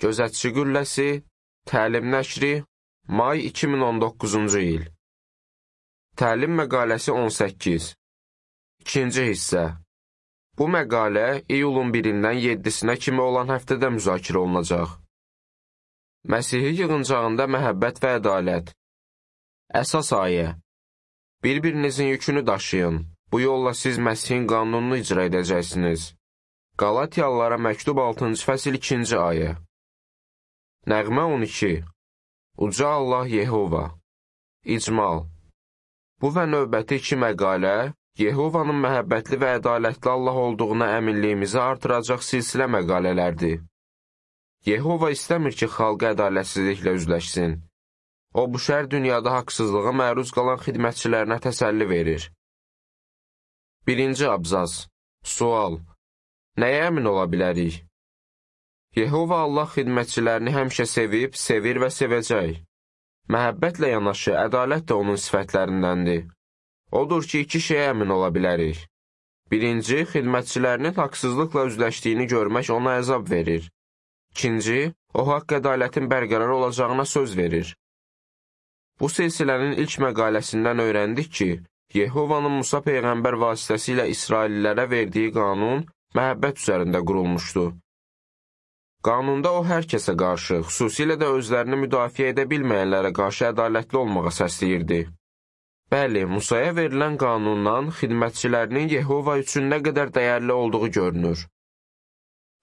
Gözətçi qülləsi, təlim nəşri, may 2019-cu il. Təlim məqaləsi 18. İkinci hissə. Bu məqalə iyulun 1-dən 7-sinə kimi olan həftədə müzakirə olunacaq. Məsihi yığıncağında məhəbbət və ədalət. Əsas ayə. Bir-birinizin yükünü daşıyın. Bu yolla siz Məsihin qanununu icra edəcəksiniz. Qalatiyalılara məktub 6-cı fəsil 2-ci ayə. Nəğmə 12. Uca Allah Yehova. İcmal. Bu və növbəti 2 məqalə, Yehovanın məhəbbətli və ədalətli Allah olduğuna əminliyimizi artıracaq silsilə məqalələrdir. Yehova istəmir ki, xalqı ədalətsizliklə üzləşsin. O, bu şər dünyada haqsızlığa məruz qalan xidmətçilərinə təsəlli verir. 1-ci abzas. Sual. Nəyə əmin ola bilərik? Yehova Allah xidmətçilərini həmişə sevib, sevir və sevəcək. Məhəbbətlə yanaşı, ədalət də onun sifətlərindəndir. Odur ki, 2 şeyə əmin ola bilərik. 1-ci, xidmətçilərinin haqsızlıqla üzləşdiyini görmək ona əzab verir. 2-ci, o haqq ədalətin bərqərar olacağına söz verir. Bu silsilənin ilk məqaləsindən öyrəndik ki, Yehovanın Musa Peyğəmbər vasitəsilə İsraillilərə verdiyi qanun məhəbbət üzərində qurulmuşdu. Qanunda o hər kəsə qarşı, xüsusilə də özlərini müdafiə edə bilməyənlərə qarşı ədalətli olmağa səsləyirdi. Bəli, Musaya verilən qanundan xidmətçilərinin Yehova üçün nə qədər dəyərli olduğu görünür.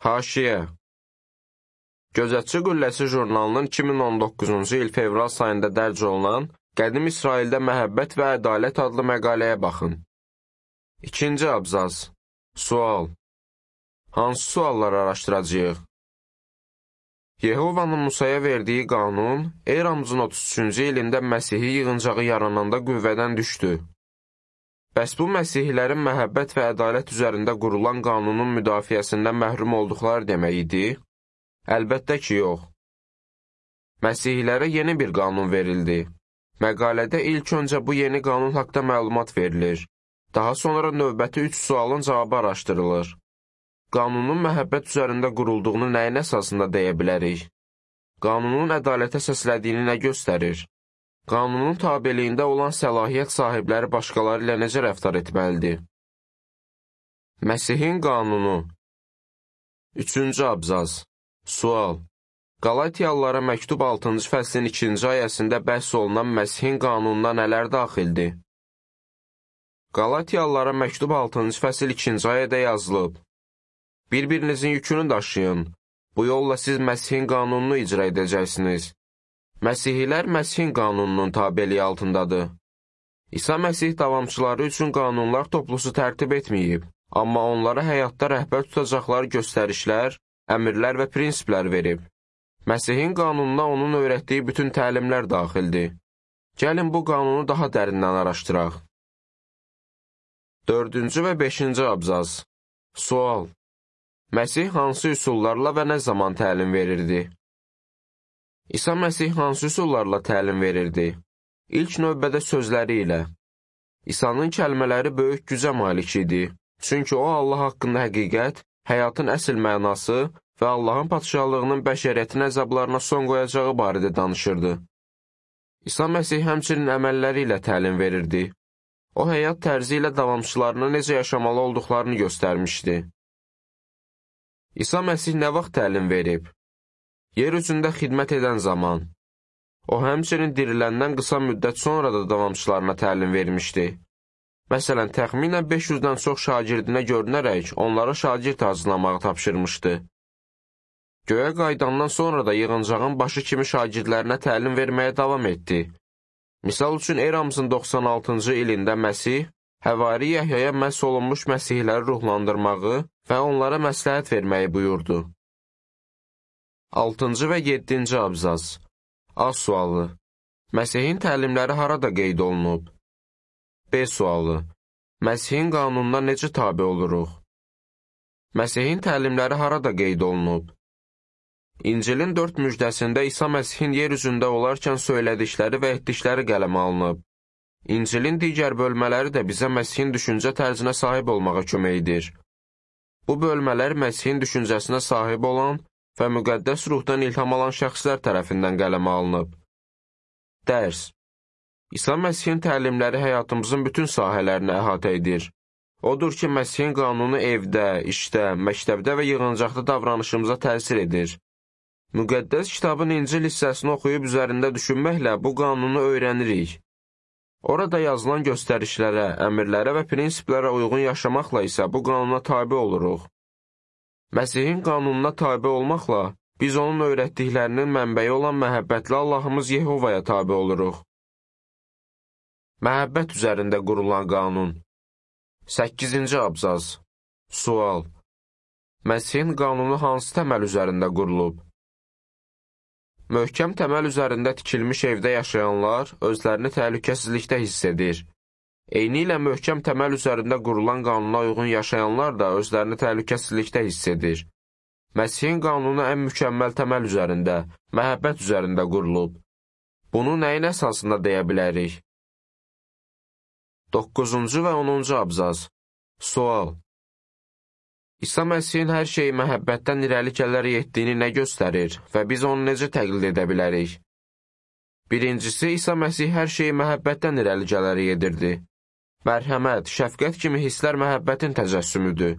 Haşiyə. Gözətçi qülləsi jurnalının 2019-cu il fevral sayında dərc olunan Qədim İsraildə məhəbbət və ədalət adlı məqaləyə baxın. 2-ci abzas. Sual. Hansı sualları araşdıracağıq? Yehovanın Musaya verdiyi qanun, eramızın 33-cü ilində Məsihi yığıncağı yarananda qüvvədən düşdü. Bəs bu Məsihlilərin məhəbbət və ədalət üzərində qurulan qanunun müdafiəsindən məhrum olduqları demək idi? Əlbəttə ki, yox. Məsihlilərə yeni bir qanun verildi. Məqalədə ilk öncə bu yeni qanun haqda məlumat verilir. Daha sonra növbəti 3 sualın cavabı araşdırılır. Qanunun məhəbbət üzərində qurulduğunu nəyin əsasında deyə bilərik? Qanunun ədalətə səslədiyini nə göstərir? Qanunun tabeliyində olan səlahiyyət sahibləri başqaları ilə necə rəftar etməlidir? Məsihin qanunu. 3-cü abzas. Sual. Qalatiyalılara məktub 6-cı fəslin 2-ci ayəsində bəhs olunan Məsihin qanununa nələr daxildir? Qalatiyalılara məktub 6-cı fəsil 2-ci ayədə yazılıb. Bir-birinizin yükünü daşıyın. Bu yolla siz Məsihin qanununu icra edəcəksiniz. Məsihilər Məsihin qanununun tabeliyi altındadır. İsa Məsih davamçıları üçün qanunlar toplusu tərtib etməyib, amma onlara həyatda rəhbər tutacaqları göstərişlər, əmrlər və prinsiplər verib. Məsihin qanununa onun öyrətdiyi bütün təlimlər daxildir. Gəlin bu qanunu daha dərindən araşdıraq. 4-cü və 5-ci abzas. Sual. Məsih hansı üsullarla və nə zaman təlim verirdi? İsa Məsih hansı üsullarla təlim verirdi? İlk növbədə sözləri ilə. İsa'nın kəlmələri böyük gücə malik idi. Çünki o Allah haqqında həqiqət, həyatın əsl mənası və Allahın padşahlığının bəşəriyyətin əzablarına son qoyacağı barədə danışırdı. İsa Məsih həmçinin əməlləri ilə təlim verirdi. O həyat tərzi ilə davamçılarına necə yaşamalı olduqlarını göstərmişdi. İsa Məsih nə vaxt təlim verib? Yer üzündə xidmət edən zaman. O həmçinin diriləndən qısa müddət sonra da davamçılarına təlim vermişdi. Məsələn, təxminən 500-dən çox şagirdinə görünərək onlara şagird hazırlamağı tapşırmışdı. Göyə qayıdandan sonra da yığıncağın başı kimi şagirdlərinə təlim verməyə davam etdi. Misal üçün, eramızın 96-cı ilində Məsih, Həvari Yəhyaya məhz olunmuş məsihləri ruhlandırmağı və onlara məsləhət verməyi buyurdu. 6-cı və 7-ci abzas. A sualı. Məsihin təlimləri harada qeyd olunub? B sualı. Məsihin qanununa necə tabe oluruq? Məsihin təlimləri harada qeyd olunub? İncilin 4 müjdəsində İsa Məsihin yer üzündə olarkən söylədikləri və etdikləri qələmə alınıb. İncilin digər bölmələri də bizə Məsihin düşüncə tərzinə sahib olmağa kömək edir. Bu bölmələr Məsihin düşüncəsinə sahib olan və müqəddəs ruhdan ilham alan şəxslər tərəfindən qələmə alınıb. Dərs. İsa Məsihin təlimləri həyatımızın bütün sahələrini əhatə edir. Odur ki, Məsihin qanunu evdə, işdə, məktəbdə və yığıncaqda davranışımıza təsir edir. Müqəddəs kitabın İncil hissəsini oxuyub üzərində düşünməklə bu qanunu öyrənirik. Orada yazılan göstərişlərə, əmrlərə və prinsiplərə uyğun yaşamaqla isə bu qanuna tabe oluruq. Məsihin qanununa tabe olmaqla biz onun öyrətdiklərinin mənbəyi olan məhəbbətli Allahımız Yehovaya tabe oluruq. Məhəbbət üzərində qurulan qanun. 8-ci abzaz. Sual. Məsihin qanunu hansı təməl üzərində qurulub? Möhkəm təməl üzərində tikilmiş evdə yaşayanlar özlərini təhlükəsizlikdə hiss edir. Eynilə möhkəm təməl üzərində qurulan qanuna uyğun yaşayanlar da özlərini təhlükəsizlikdə hiss edir. Məsihin qanunu ən mükəmməl təməl üzərində, məhəbbət üzərində qurulub. Bunu nəyin əsasında deyə bilərik? 9-cu və 10-cu abzaz. Sual. İsa Məsihin hər şeyi məhəbbətdən irəli gələrək etdiyini nə göstərir və biz onu necə təqlid edə bilərik? Birincisi, İsa Məsih hər şeyi məhəbbətdən irəli gələrək edirdi. Mərhəmət, şəfqət kimi hisslər məhəbbətin təcəssümüdür.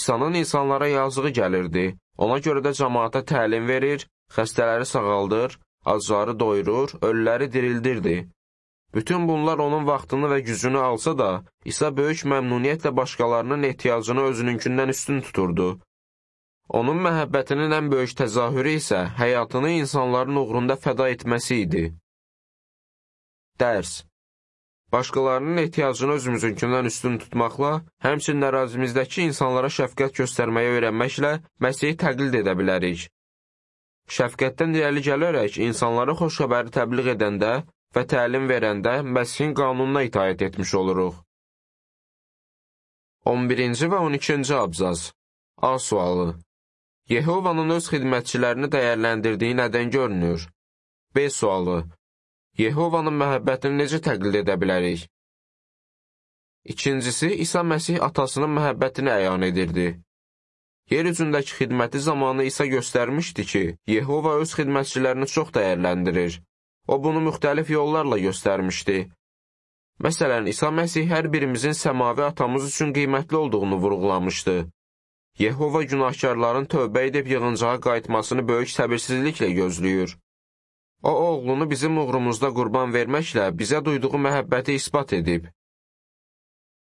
İsa'nın insanlara yazığı gəlirdi, ona görə də cəmaata təlim verir, xəstələri sağaldır, acları doyurur, ölüləri dirildirdi. Bütün bunlar onun vaxtını və gücünü alsa da, İsa böyük məmnuniyyətlə başqalarının ehtiyacını özününkindən üstün tuturdu. Onun məhəbbətinin ən böyük təzahürü isə həyatını insanların uğrunda fəda etməsi idi. Dərs. Başqalarının ehtiyacını özümüzünkindən üstün tutmaqla, həmçinin ərazimizdəki insanlara şəfqət göstərməyi öyrənməklə Məsihi təqlid edə bilərik. Şəfqətdən irəli gələrək insanlara xoş xəbəri təbliğ edəndə və təlim verəndə Məsihin qanununa itaət etmiş oluruq. 11-ci və 12-ci abzaz. A sualı. Yehovanın öz xidmətçilərini dəyərləndirdiyi nədən görünür? B sualı. Yehovanın məhəbbətini necə təqlid edə bilərik? İkincisi, İsa Məsih atasının məhəbbətini əyan edirdi. Yer üzündəki xidməti zamanı İsa göstərmişdi ki, Yehova öz xidmətçilərini çox dəyərləndirir. O bunu müxtəlif yollarla göstərmişdi. Məsələn, İsa Məsih hər birimizin səmavi atamız üçün qiymətli olduğunu vurğulamışdı. Yehova günahkarların tövbə edib yığıncağa qayıtmasını böyük səbirsizliklə gözləyir. O, oğlunu bizim uğrumuzda qurban verməklə bizə duyduğu məhəbbəti isbat edib.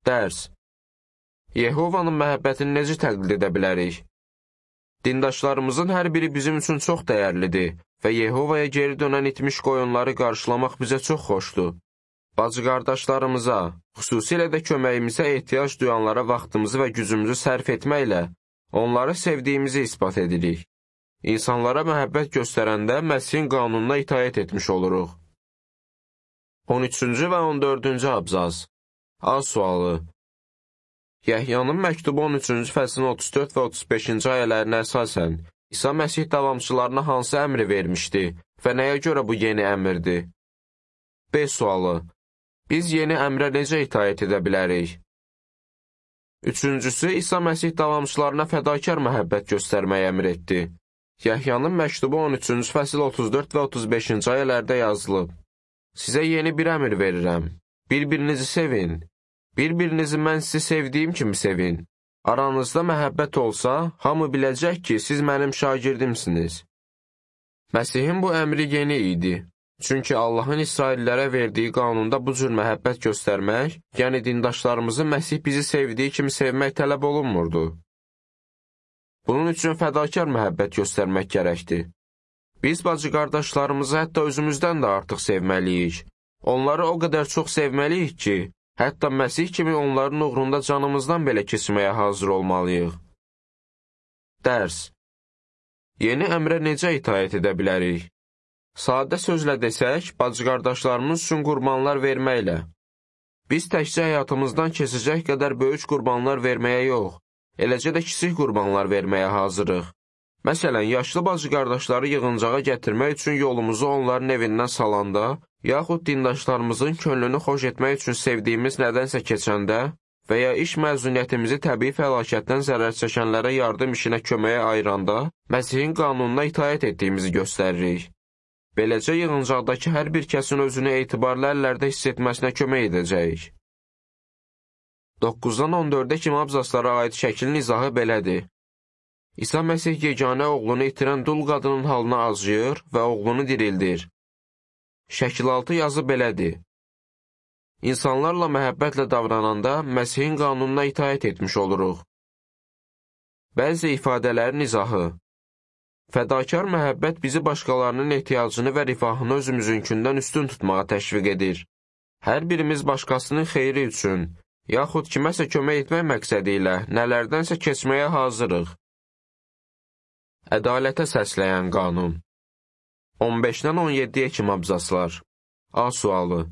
Dərs. Yehovanın məhəbbətini necə təqlid edə bilərik? Dindaşlarımızın hər biri bizim üçün çox dəyərlidir və Yehovaya geri dönən itmiş qoyunları qarşılamaq bizə çox xoşdur. Bacı qardaşlarımıza, xüsusilə də köməyimizə ehtiyac duyanlara vaxtımızı və gücümüzü sərf etməklə onları sevdiyimizi isbat edirik. İnsanlara məhəbbət göstərəndə Məsihin qanununa itaət etmiş oluruq. 13-cü və 14-cü abzaz. A sualı. Yəhyanın məktubu 13-cü fəslin 34 və 35-ci ayələrinə əsasən İsa Məsih davamçılarına hansı əmri vermişdi və nəyə görə bu yeni əmrdir? B sualı. Biz yeni əmrə necə itaət edə bilərik? Üçüncüsü, İsa Məsih davamçılarına fədakar məhəbbət göstərməyi əmr etdi. Yəhyanın məktubu 13-cü fəsil 34 və 35-ci ayələrdə yazılıb. Sizə yeni bir əmr verirəm. Bir-birinizi sevin. Bir-birinizi mən sizi sevdiyim kimi sevin. Aranızda məhəbbət olsa, hamı biləcək ki, siz mənim şagirdimsiniz. Məsihin bu əmri yeni idi. Çünki Allahın İsraillərə verdiyi qanunda bu cür məhəbbət göstərmək, yəni dindaşlarımızı Məsih bizi sevdiyi kimi sevmək tələb olunmurdu. Bunun üçün fədakar məhəbbət göstərmək gərəkdir. Biz bacı qardaşlarımızı hətta özümüzdən də artıq sevməliyik. Onları o qədər çox sevməliyik ki, hətta Məsih kimi onların uğrunda canımızdan belə keçməyə hazır olmalıyıq. Dərs. Yeni əmrə necə itaət edə bilərik? Sadə sözlə desək, bacı qardaşlarımız üçün qurbanlar verməklə. Biz təkcə həyatımızdan keçəcək qədər böyük qurbanlar verməyə yox, eləcə də kiçik qurbanlar verməyə hazırıq. Məsələn, yaşlı bacı qardaşları yığıncağa gətirmək üçün yolumuzu onların evindən salanda, yaxud dindaşlarımızın könlünü xoş etmək üçün sevdiyimiz nədənsə keçəndə və ya iş məzuniyyətimizi təbii fəlakətdən zərər çəkənlərə yardım işinə köməyə ayıranda Məsihin qanununa itaət etdiyimizi göstəririk. Beləcə yığıncaqdakı hər bir kəsin özünü etibarlı əllərdə hiss etməsinə kömək edəcəyik. 9-dan 14-ə kimi abzaslara aid şəkilin izahı belədir. İsa Məsih yeganə oğlunu itirən dul qadının halına acıyır və oğlunu dirildir. Şəkil 6 yazı belədir. İnsanlarla məhəbbətlə davrananda Məsihin qanununa itaət etmiş oluruq. Bəzi ifadələrin izahı. Fədakar məhəbbət bizi başqalarının ehtiyacını və rifahını özümüzünkindən üstün tutmağa təşviq edir. Hər birimiz başqasının xeyri üçün, yaxud kiməsə kömək etmək məqsədi ilə nələrdənsə keçməyə hazırıq. Ədalətə səsləyən qanun. 15-dən 17-yə kimi abzaslar. A sualı.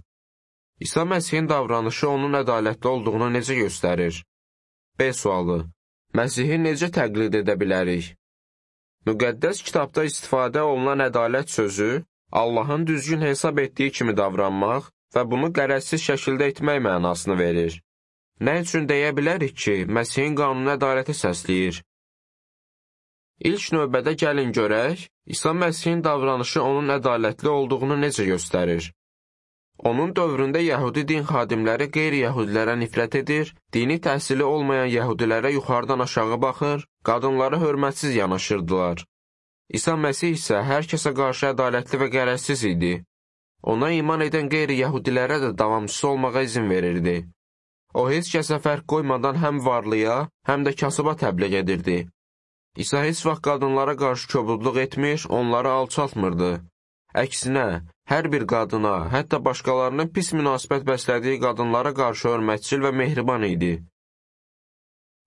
İsa Məsihin davranışı onun ədalətli olduğunu necə göstərir? B sualı. Məsihi necə təqlid edə bilərik? Müqəddəs kitabda istifadə olunan ədalət sözü, Allahın düzgün hesab etdiyi kimi davranmaq və bunu qərəzsiz şəkildə etmək mənasını verir. Nə üçün deyə bilərik ki, Məsihin qanunu ədalətə səsləyir? İlk növbədə gəlin görək, İsa Məsihin davranışı onun ədalətli olduğunu necə göstərir? Onun dövründə Yəhudi din xadimləri qeyri-Yəhudilərə nifrət edir, dini təhsili olmayan Yəhudilərə yuxarıdan aşağı baxır, qadınlara hörmətsiz yanaşırdılar. İsa Məsih isə hər kəsə qarşı ədalətli və qərəzsiz idi. Ona iman edən qeyri-Yəhudilərə də davamçısı olmağa izin verirdi. O, heç kəsə fərq qoymadan həm varlıya, həm də kasıba təbliğ edirdi. İsa heç vaxt qadınlara qarşı kobudluq etmir, onları alçaltmırdı. Əksinə, hər bir qadına, hətta başqalarının pis münasibət bəslədiyi qadınlara qarşı hörmətçil və mehriban idi.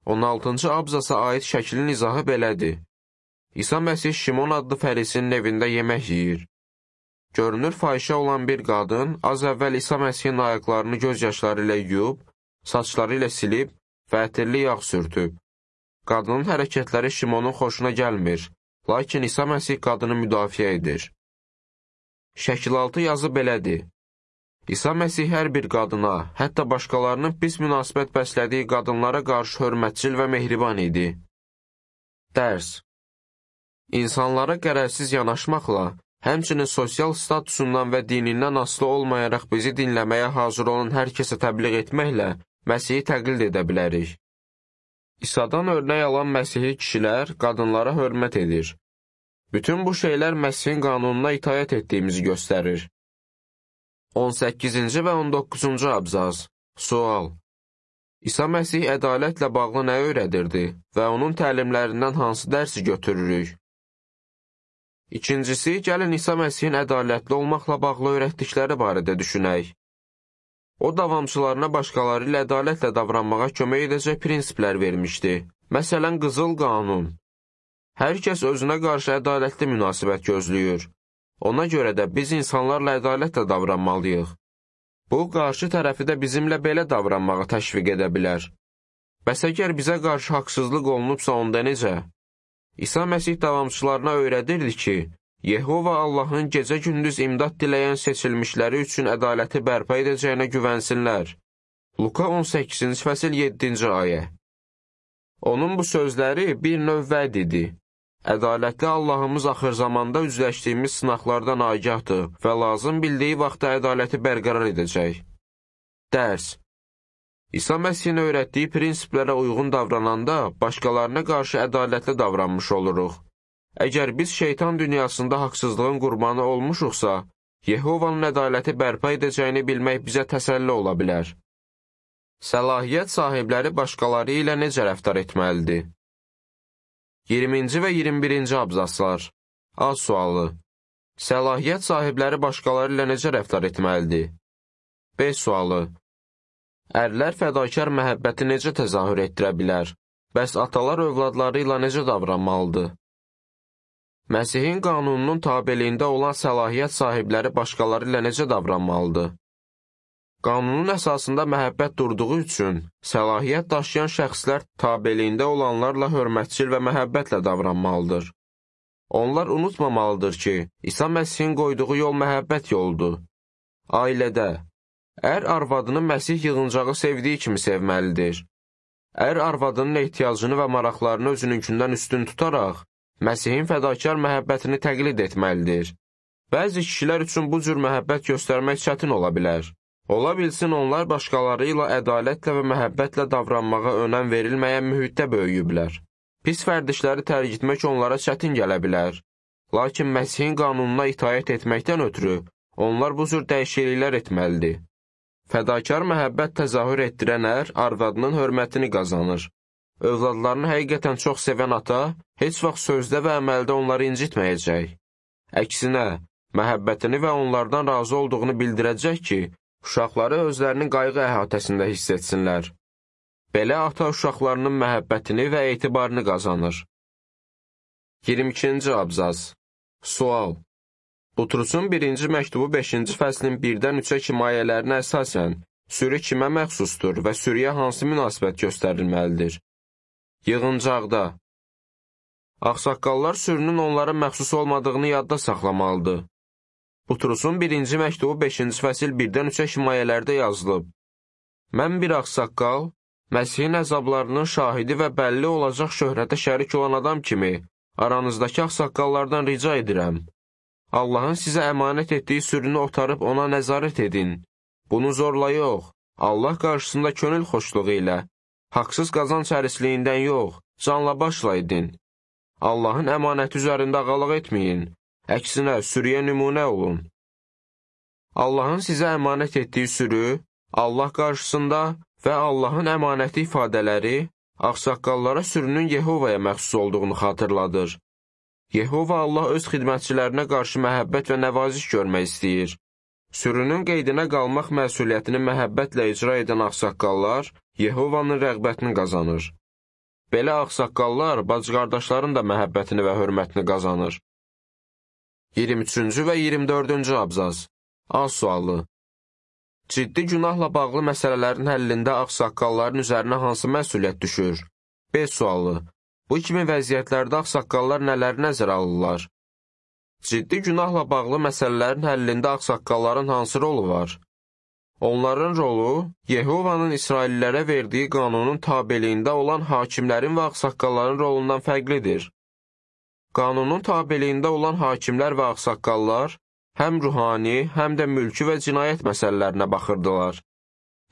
16-cı abzasa aid şəklin izahı belədir. İsa Məsih Şimon adlı fərisinin evində yemək yeyir. Görünür fahişə olan bir qadın az əvvəl İsa Məsihin ayaqlarını göz yaşları ilə yuyub, saçları ilə silib və ətirli yağ sürtüb. Qadının hərəkətləri Şimonun xoşuna gəlmir, lakin İsa Məsih qadını müdafiə edir. Şəkil 6 yazı belədir. İsa Məsih hər bir qadına, hətta başqalarının pis münasibət bəslədiyi qadınlara qarşı hörmətçil və mehriban idi. Dərs. İnsanlara qərəzsiz yanaşmaqla, həmçinin sosial statusundan və dinindən asılı olmayaraq bizi dinləməyə hazır olan hər kəsə təbliğ etməklə Məsihi təqlid edə bilərik. İsa'dan örnək alan Məsihi kişilər qadınlara hörmət edir. Bütün bu şeylər Məsihin qanununa itaət etdiyimizi göstərir. 18-ci və 19-cu abzas. Sual. İsa Məsih ədalətlə bağlı nə öyrədirdi və onun təlimlərindən hansı dərsi götürürük? İkincisi, gəlin İsa Məsihin ədalətli olmaqla bağlı öyrətdikləri barədə düşünək. O, davamçılarına başqaları ilə ədalətlə davranmağa kömək edəcək prinsiplər vermişdi. Məsələn, qızıl qanun. Hər kəs özünə qarşı ədalətli münasibət gözləyir. Ona görə də biz insanlarla ədalətlə davranmalıyıq. Bu, qarşı tərəfi də bizimlə belə davranmağa təşviq edə bilər. Bəs əgər bizə qarşı haqsızlıq olunubsa onda necə? İsa Məsih davamçılarına öyrədirdi ki, Yehova Allahın gecə-gündüz imdad diləyən seçilmişləri üçün ədaləti bərpa edəcəyinə güvənsinlər. Luka 18-ci fəsil 7-ci ayə. Onun bu sözləri bir növ vəd idi. Ədalətli Allahımız axır zamanda üzləşdiyimiz sınaqlardan agahdır və lazım bildiyi vaxtda ədaləti bərqərar edəcək. Dərs. İsa Məsihin öyrətdiyi prinsiplərə uyğun davrananda başqalarına qarşı ədalətli davranmış oluruq. Əgər biz şeytan dünyasında haqsızlığın qurbanı olmuşuqsa, Yehovanın ədaləti bərpa edəcəyini bilmək bizə təsəlli ola bilər. Səlahiyyət sahibləri başqaları ilə necə rəftar etməlidir? 20-ci və 21-ci abzaslar. A sualı. Səlahiyyət sahibləri başqaları ilə necə rəftar etməlidir? B sualı. Ərlər fədakar məhəbbəti necə təzahür etdirə bilər? Bəs atalar övladları ilə necə davranmalıdır? Məsihin qanununun tabeliyində olan səlahiyyət sahibləri başqaları ilə necə davranmalıdır? Qanunun əsasında məhəbbət durduğu üçün, səlahiyyət daşıyan şəxslər tabeliyində olanlarla hörmətçil və məhəbbətlə davranmalıdır. Onlar unutmamalıdır ki, İsa Məsihin qoyduğu yol məhəbbət yoludur. Ailədə, Ər arvadını Məsih yığıncağı sevdiyi kimi sevməlidir. Ər arvadının ehtiyacını və maraqlarını özününkindən üstün tutaraq, Məsihin fədakar məhəbbətini təqlid etməlidir. Bəzi kişilər üçün bu cür məhəbbət göstərmək çətin ola bilər. Ola bilsin onlar başqaları ilə ədalətlə və məhəbbətlə davranmağa önəm verilməyən mühitdə böyüyüblər. Pis vərdişləri tərk etmək onlara çətin gələ bilər. Lakin Məsihin qanununa itaət etməkdən ötürü onlar bu cür dəyişikliklər etməlidir. Fədakar məhəbbət təzahür etdirən ər arvadının hörmətini qazanır. Övladlarını həqiqətən çox sevən ata heç vaxt sözdə və əməldə onları incitməyəcək. Əksinə, məhəbbətini və onlardan razı olduğunu bildirəcək ki, uşaqları özlərinin qayğı əhatəsində hiss etsinlər. Belə ata uşaqlarının məhəbbətini və etibarını qazanır. 22-ci abzas. Sual. Butrusun 1-ci məktubu 5-ci fəslin 1-dən 3-ə kimi ayələrinə əsasən, sürü kimə məxsusdur və sürüyə hansı münasibət göstərilməlidir? Yığıncaqda. Ağsaqqallar sürünün onlara məxsus olmadığını yadda saxlamalıdır. Butrusun 1-ci məktubu 5-ci fəsil 1-dən 3-ə kimi ayələrdə yazılıb. Mən bir ağsaqqal, Məsihin əzablarının şahidi və bəlli olacaq şöhrətə şərik olan adam kimi, aranızdakı ağsaqqallardan rica edirəm. Allahın sizə əmanət etdiyi sürünü otarıb ona nəzarət edin. Bunu zorla yox, Allah qarşısında könül xoşluğu ilə, haqsız qazanc hərisliyindən yox, canla başla edin. Allahın əmanəti üzərində ağalıq etməyin, əksinə sürüyə nümunə olun. Allahın sizə əmanət etdiyi sürü, Allah qarşısında və Allahın əmanəti ifadələri ağsaqqallara sürünün Yehovaya məxsus olduğunu xatırladır. Yehova Allah öz xidmətçilərinə qarşı məhəbbət və nəvaziş görmək istəyir. Sürünün qeydinə qalmaq məsuliyyətini məhəbbətlə icra edən ağsaqqallar Yehovanın rəğbətini qazanır. Belə ağsaqqallar bacı-qardaşların da məhəbbətini və hörmətini qazanır. 23-cü və 24-cü abzas. A sualı. Ciddi günahla bağlı məsələlərin həllində ağsaqqalların üzərinə hansı məsuliyyət düşür? B sualı. Bu kimi vəziyyətlərdə ağsaqqallar nələri nəzərə alırlar? Ciddi günahla bağlı məsələlərin həllində ağsaqqalların hansı rolu var? Onların rolu, Yehovanın İsraillərə verdiyi qanunun tabeliyində olan hakimlərin və ağsaqqalların rolundan fərqlidir. Qanunun tabeliyində olan hakimlər və ağsaqqallar həm ruhani, həm də mülki və cinayət məsələlərinə baxırdılar.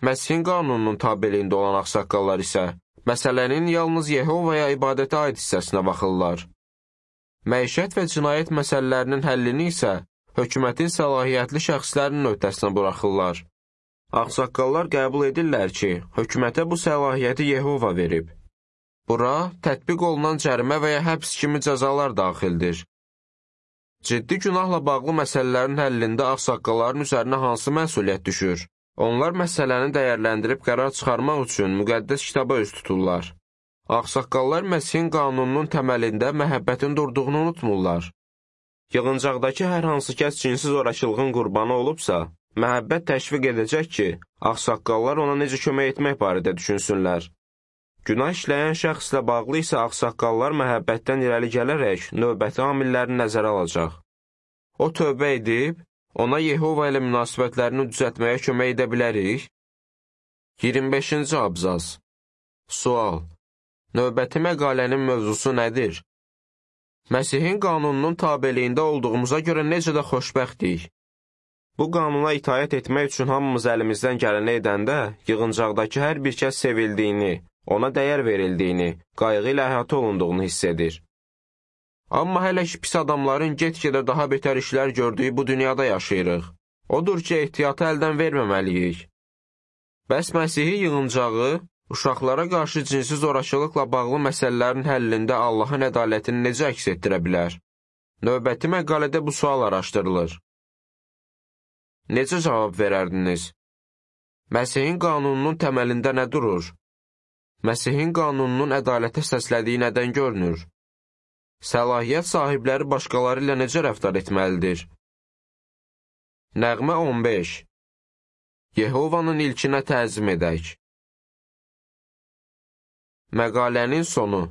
Məsihin qanununun tabeliyində olan ağsaqqallar isə məsələnin yalnız Yehovaya ibadətə aid hissəsinə baxırlar. Məişət və cinayət məsələlərinin həllini isə hökumətin səlahiyyətli şəxslərinin öhdəsinə buraxırlar. Ağsaqqallar qəbul edirlər ki, hökumətə bu səlahiyyəti Yehova verib. Bura tətbiq olunan cərimə və ya həbs kimi cəzalar daxildir. Ciddi günahla bağlı məsələlərin həllində ağsaqqalların üzərinə hansı məsuliyyət düşür? Onlar məsələni dəyərləndirib qərar çıxarmaq üçün müqəddəs kitaba üz tuturlar. Ağsaqqallar Məsihin qanununun təməlində məhəbbətin durduğunu unutmurlar. Yığıncaqdakı hər hansı kəs cinsi zorakılığın qurbanı olubsa, məhəbbət təşviq edəcək ki, ağsaqqallar ona necə kömək etmək barədə düşünsünlər. Günah işləyən şəxslə bağlı isə ağsaqqallar məhəbbətdən irəli gələrək növbəti amillərini nəzərə alacaq. O tövbə edib, ona Yehova ilə münasibətlərini düzəltməyə kömək edə bilərik. 25-ci abzas. Sual. Növbəti məqalənin mövzusu nədir? Məsihin qanununun tabeliyində olduğumuza görə necə də xoşbəxtdik. Bu qanuna itaət etmək üçün hamımız əlimizdən gələni edəndə, yığıncaqdakı hər bir kəs sevildiyini, ona dəyər verildiyini, qayğı ilə əhatə olunduğunu hiss edir. Amma hələ ki pis adamların get-gedə daha betər işlər gördüyü bu dünyada yaşayırıq. Odur ki, ehtiyatı əldən verməməliyik. Bəs Məsihi yığıncağı, uşaqlara qarşı cinsi zorakılıqla bağlı məsələlərin həllində Allahın ədalətini necə əks etdirə bilər? Növbəti məqalədə bu sual araşdırılır. Necə cavab verərdiniz? Məsihin qanununun təməlində nə durur? Məsihin qanununun ədalətə səslədiyi nədən görünür? Səlahiyyət sahibləri başqaları ilə necə rəftar etməlidir? Nəğmə 15. Yehovanın ilkinə təzim edək. Məqalənin sonu.